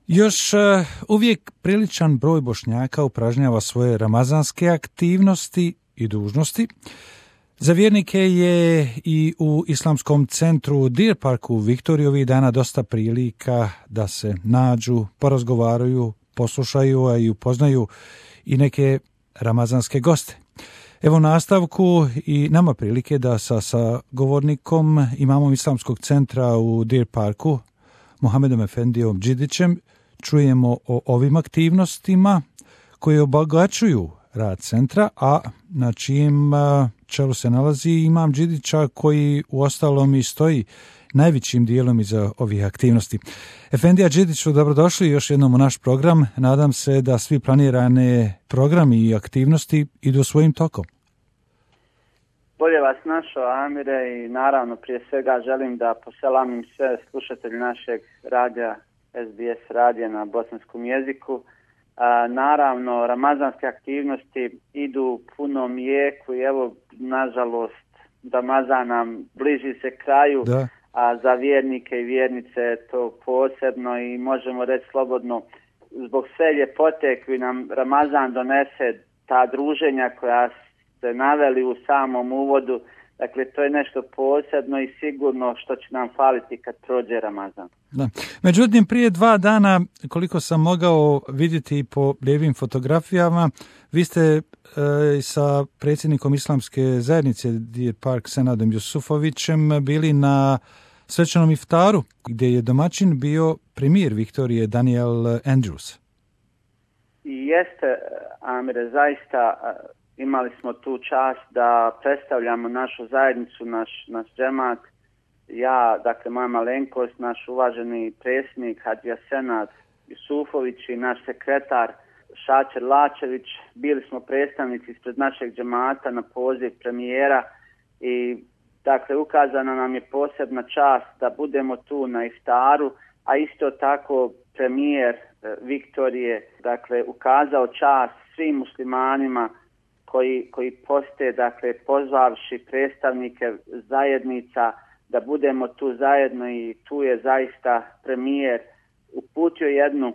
Još uvijek priličan broj Bošnjaka upražnjava svoje ramazanske aktivnosti i dužnosti. Za vjernike je i u Islamskom centru Deer Park u Viktoriji ovih dana dosta prilika da se nađu, porazgovaraju, poslušaju, a i upoznaju i neke ramazanske goste. Evo nastavku i nama prilike da sa govornikom, imamom Islamskog centra u Deer Parku, Muhamedom Efendijom Đidićem, čujemo o ovim aktivnostima koje obogaćuju rad centra, a na čijem čelu se nalazi imam Đidića koji uostalom i stoji najvećim dijelom iza ovih aktivnosti. Efendija Đidiću, dobrodošli još jednom u naš program. Nadam se da svi planirane programi i aktivnosti idu svojim tokom. Bolje vas našao, Amire, i naravno prije svega želim da poselamim sve slušatelji našeg radija, SBS radija na bosanskom jeziku. Naravno, ramazanske aktivnosti idu u punom jeku i evo, nažalost, Ramazan nam bliži se kraju, da. A za vjernike i vjernice je to posebno i možemo reći slobodno, zbog sve ljepote koju nam Ramazan donese, ta druženja koja ste naveli u samom uvodu, dakle to je nešto posebno i sigurno što će nam faliti kad prođe Ramazan. Da. Međutim, prije 2 dana, koliko sam mogao vidjeti po lijevim fotografijama, vi ste sa predsjednikom Islamske zajednice Deer Park Senadom Jusufovićem bili na svečanom iftaru, gdje je domaćin bio premijer Viktorije Daniel Andrews. I jeste, Amire, zaista imali smo tu čast da predstavljamo našu zajednicu, naš džemat. Ja, dakle, moja malenkost, naš uvaženi predsjednik Hadžija Senad Jusufović i naš sekretar Šačer Lačević, bili smo predstavnici ispred našeg džemata na poziv premijera i dakle ukazana nam je posebna čast da budemo tu na iftaru, a isto tako premijer Viktorije dakle ukazao čast svim muslimanima koji poste, dakle pozvavši predstavnike zajednica da budemo tu zajedno i tu je zaista premijer uputio jednu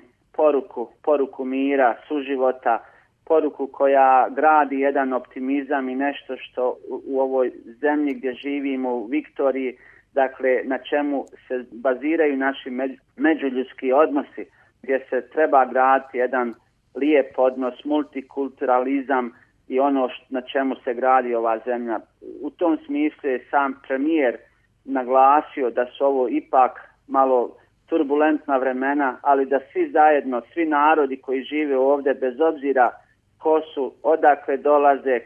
poruku mira, suživota, poruku koja gradi jedan optimizam i nešto što u ovoj zemlji gdje živimo u Viktoriji, dakle na čemu se baziraju naši međuljudski odnosi, gdje se treba graditi jedan lijep odnos, multikulturalizam i ono na čemu se gradi ova zemlja. U tom smislu je sam premijer naglasio da su ovo ipak malo turbulentna vremena, ali da svi zajedno, svi narodi koji žive ovdje, bez obzira ko su, odakle dolaze,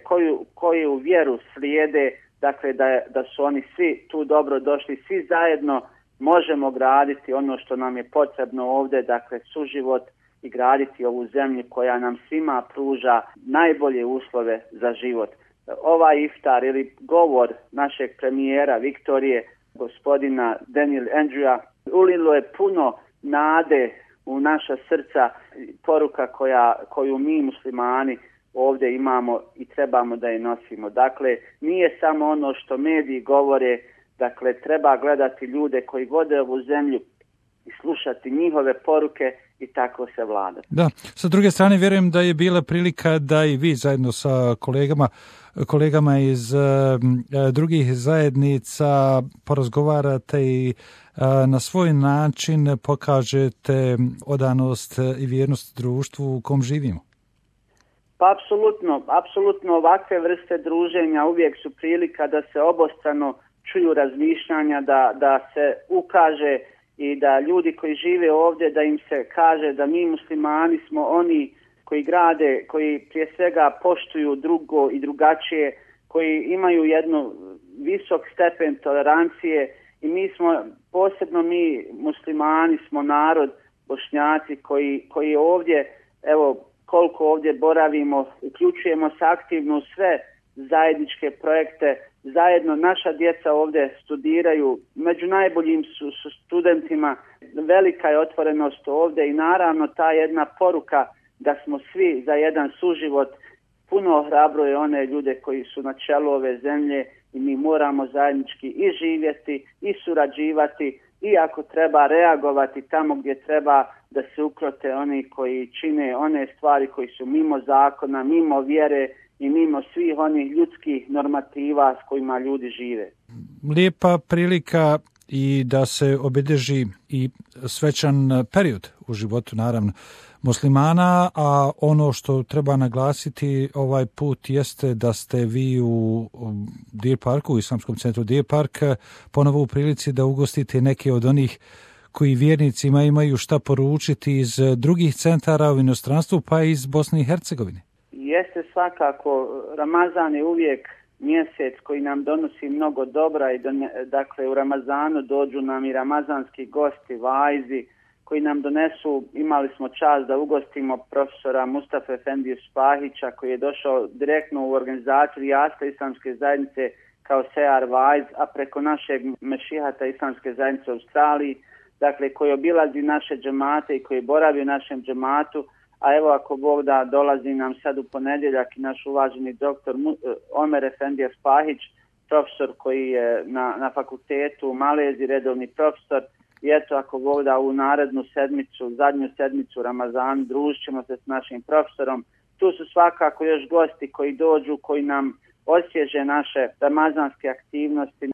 koju vjeru slijede, dakle da su oni svi tu dobro došli, svi zajedno možemo graditi ono što nam je potrebno ovdje, dakle suživot i graditi ovu zemlju koja nam svima pruža najbolje uslove za život. Ovaj iftar ili govor našeg premijera Viktorije, gospodina Daniel Andrewa, ulilo je puno nade u naša srca, poruka koju mi muslimani ovdje imamo i trebamo da je nosimo. Dakle, nije samo ono što mediji govore, dakle treba gledati ljude koji vode ovu zemlju i slušati njihove poruke i tako se vladati. Da, sa druge strane vjerujem da je bila prilika da i vi zajedno sa kolegama iz drugih zajednica porazgovarate i na svoj način pokažete odanost i vjernost društvu u kom živimo. Pa apsolutno ovakve vrste druženja uvijek su prilika da se obostrano čuju razmišljanja, da se ukaže i da ljudi koji žive ovdje, da im se kaže da mi muslimani smo oni koji grade, koji prije svega poštuju drugo i drugačije, koji imaju jednu visok stepen tolerancije i posebno mi muslimani smo narod, Bošnjaci koji ovdje, evo koliko ovdje boravimo, uključujemo se aktivno u sve zajedničke projekte, zajedno naša djeca ovdje studiraju, među najboljim su studentima, velika je otvorenost ovdje i naravno ta jedna poruka da smo svi za jedan suživot puno ohrabruje one ljude koji su na čelu ove zemlje i mi moramo zajednički i živjeti i surađivati i ako treba reagovati tamo gdje treba da se ukrote oni koji čine one stvari koji su mimo zakona, mimo vjere i mimo svih onih ljudskih normativa s kojima ljudi žive. Lijepa prilika i da se obilježi i svečan period u životu, naravno, muslimana, a ono što treba naglasiti ovaj put jeste da ste vi u Deer Parku, u Islamskom centru Deer Park, ponovo u prilici da ugostite neke od onih koji vjernicima imaju šta poručiti iz drugih centara u inostranstvu, pa i iz Bosne i Hercegovine. Jeste svakako, Ramazan je uvijek mjesec koji nam donosi mnogo dobra i dakle u Ramazanu dođu nam i ramazanski gosti, vajzi, koji nam donesu, imali smo čast da ugostimo profesora Mustafa Efendiju Spahića koji je došao direktno u organizaciju Rijasta Islamske zajednice kao sejar vajz, a preko našeg mešihata Islamske zajednice u Australiji, dakle koji obilazi naše džemate i koji boravi u našem džematu, a evo ako Bog da dolazi nam sad u ponedjeljak i naš uvaženi doktor Omer Efendija Spahić, profesor koji je na fakultetu u Maleziji, redovni profesor. I eto, ako Bog da u narednu sedmicu, zadnju sedmicu Ramazan, družit ćemo se s našim profesorom. Tu su svakako još gosti koji dođu, koji nam osvježe naše ramazanske aktivnosti,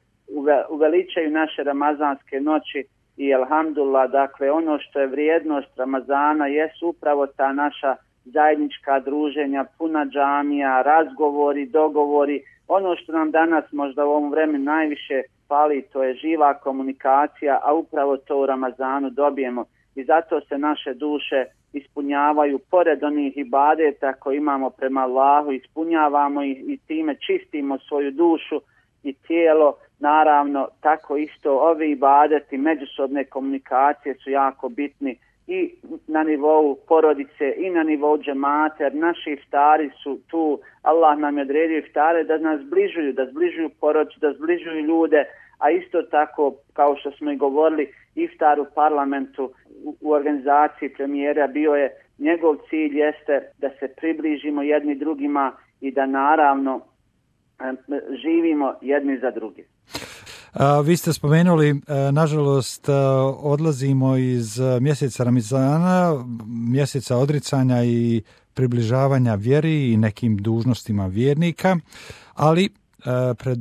uveličaju naše ramazanske noći i alhamdulillah, dakle ono što je vrijednost Ramazana jesu upravo ta naša zajednička druženja, puna džamija, razgovori, dogovori. Ono što nam danas možda u ovom vremenu najviše fali, to je živa komunikacija, a upravo to u Ramazanu dobijemo. I zato se naše duše ispunjavaju, pored onih ibadeta koje imamo prema Allahu, ispunjavamo i time čistimo svoju dušu i tijelo. Naravno, tako isto ovi ibadeti, međusobne komunikacije su jako bitni i na nivou porodice i na nivou džemata, jer naši iftari su tu, Allah nam je odredio iftare da nas zbližuju porodicu, da zbližuju ljude, a isto tako, kao što smo i govorili, iftar u parlamentu, u organizaciji premijera bio je, njegov cilj jeste da se približimo jedni drugima i da naravno živimo jedni za drugi. Vi ste spomenuli, nažalost, odlazimo iz mjeseca Ramazana, mjeseca odricanja i približavanja vjeri i nekim dužnostima vjernika, ali pred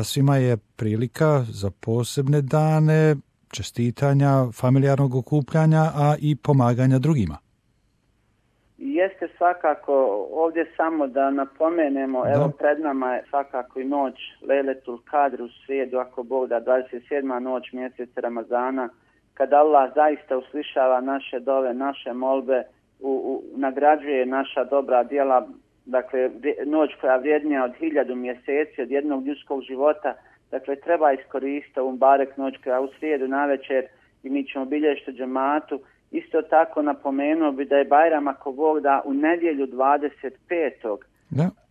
svima je prilika za posebne dane, čestitanja, familijarnog okupljanja, a i pomaganja drugima. Jeste svakako, ovdje samo da napomenemo, evo pred nama je svakako i noć Lejletul Kadr u srijedu, ako Bog da, 27. noć mjeseca Ramazana, kada Allah zaista uslišava naše dove, naše molbe, nagrađuje naša dobra djela, dakle noć koja je vrijednija od 1000 mjeseci, od jednog ljudskog života, dakle treba iskoristiti ovu barek noć koja u srijedu navečer i mi ćemo bilježiti džematu. Isto tako napomenuo bi da je Bajram, ako Bog da, u nedjelju 25.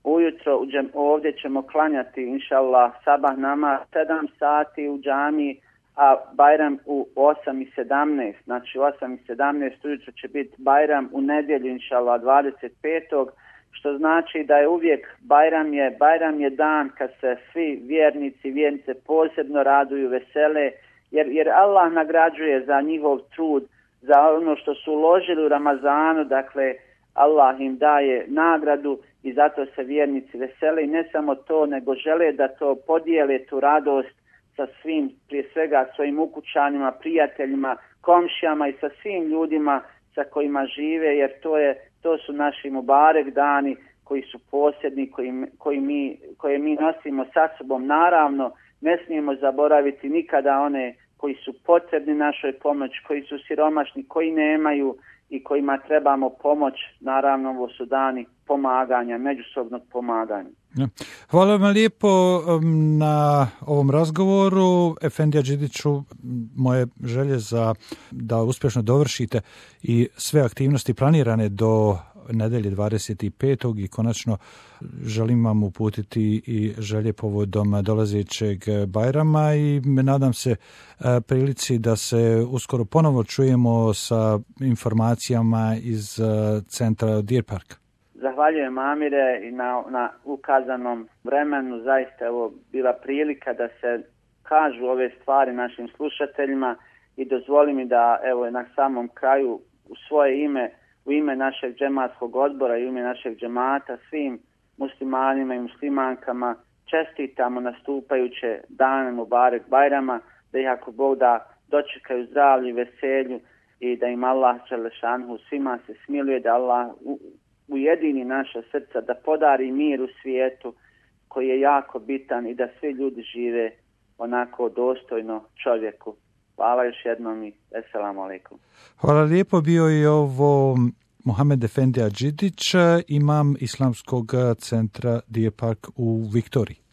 Ujutro ovdje ćemo klanjati, inšallah, sabah namaz 7 sati u džamiji, a Bajram u 8:17. Znači u 8:17 ujutro će biti Bajram, u nedjelju, inšallah, 25. Što znači da je uvijek Bajram je dan kad se svi vjernice posebno raduju, vesele, jer Allah nagrađuje za njihov trud, za ono što su uložili u Ramazanu, dakle Allah im daje nagradu i zato se vjernici vesele i ne samo to, nego žele da to podijele, tu radost sa svim, prije svega svojim ukućanima, prijateljima, komšijama i sa svim ljudima sa kojima žive, jer to su naši mubarek dani koji su posebni, koje mi nosimo sa sobom. Naravno, ne smijemo zaboraviti nikada one koji su potrebni našoj pomoć, koji su siromašni, koji nemaju i kojima trebamo pomoć. Naravno, ovo su dani pomaganja, međusobnog pomaganja. Hvala vam lijepo na ovom razgovoru. Efendija Đidiću, moje želje da uspješno dovršite i sve aktivnosti planirane do nedelje 25. i konačno želim vam uputiti i želje povodom dolazećeg Bajrama i nadam se prilici da se uskoro ponovo čujemo sa informacijama iz centra Deer Park. Zahvaljujem, Amire, i na ukazanom vremenu. Zaista je ovo bila prilika da se kažu ove stvari našim slušateljima i dozvoli mi da evo na samom kraju u svoje ime, u ime našeg džematskog odbora i u ime našeg džemata svim muslimanima i muslimankama čestitamo nastupajuće dane Mubarek Bajrama, da ih ako Bog da dočekaju zdravlju i veselju i da im Allah Đelešanhu svima se smiluje, da Allah ujedini naša srca, da podari mir u svijetu koji je jako bitan i da svi ljudi žive onako dostojno čovjeku. Hvala još jednom i assalamu alaikum. Hvala lijepo, bio je ovo Mohamed Efendi Adžidić, imam Islamskog centra Deer Park u Viktoriji.